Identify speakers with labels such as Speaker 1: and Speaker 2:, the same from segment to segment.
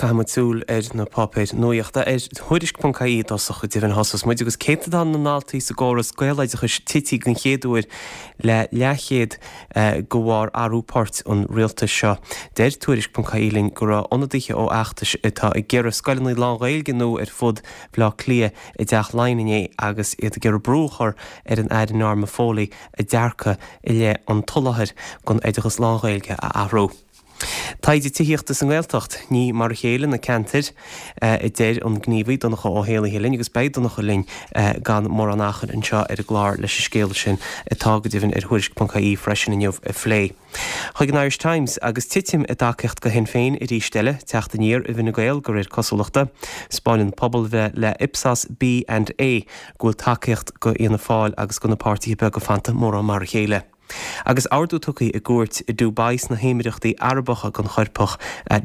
Speaker 1: caithfidh muid súil ar na páipéir nuaíochta. Ar Tuairisc.ie i dtosach, go deimhin, thosós muid agus céatadán na ndaltaí sa gcóras Gaeloideachais tití den chéad uair le leathchéad de bharr athrú poirt an rialtais seo. Deir Tuairisc.ie linn go raibh ionadaithe ó fheachtais atá ag iarraidh scoileanna lán-Ghaeilge nua ar fud Bhaile Átha Cliath i dTeach Laighean inné agus iad ag iarraidh brú a chur ar an Aire Norma Foley a dearcadh i leith an tsoláthair don oideachas lán-Ghaeilge a athrú. Taighde tithíochta sa nGaeltacht, ní mar a chéile na ceantair, a deir an gníomhaí Donncha Ó hÉallaithe linn agus beidh Donncha linn gan mórán achair anseo ar an gclár leis an scéal sin, atá go deimhin ar Thuairisc.ie freisin inniu, a phlé. Chuig an Irish Times, agus titim i dtacaíocht do Shinn Féin arís eile, teacht aniar i bhFine Gael de réir cosúlachta. 'Spáineann pobalbhreith le Ipsos B and A go bhfuil tacaíocht do Fhianna Fáil agus do na páirtithe beaga fanta mórán mar a chéile. Agus ordú tugtha i gcúirt i Dubai sna hÉimireachtaí Arabacha don choirpeach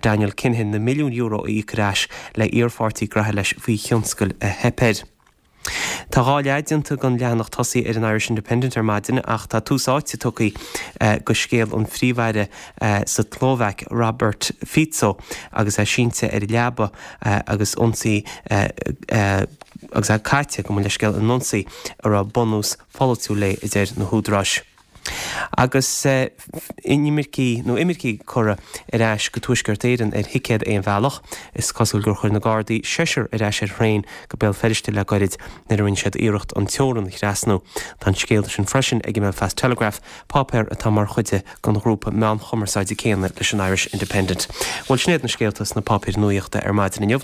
Speaker 1: Daniel Kinahan na milliúin euro a íoc ar ais le iarpháirtí graithe leis faoi thionscal a theip air. Tá dhá leath déanta den leathanach tosaigh ar an Irish Independent ar maidin ach tá tús áite tugtha do scéal an phríomh-aire sa tSlóvaic, Robert Fico, agus é sínte ar leaba agus ionsaí agus é caite, gabh mo leithscéal, in ionsaí a raibh bunús pholaitiúil léi, a deir na húdaráis. Agus inimircigh nó imircigh curtha ar ais go Tuaisceart Éireann ar thicéad aon bhealach, is cosúil gur chuir na Gardaí seisear ar ais ar thraein go Béal Feirste le gairid nuair a rinne siad iarracht an teorann a thrasnú. Tá an scéal sin freisin ag an mBelfast Telegraph, páipéar atá mar chuid den ghrúpa meán chumarsáide céanna leis an Irish Independent. Bhuel, sin iad na scéalta sna páipéir nuaíochta ar maidin inniu.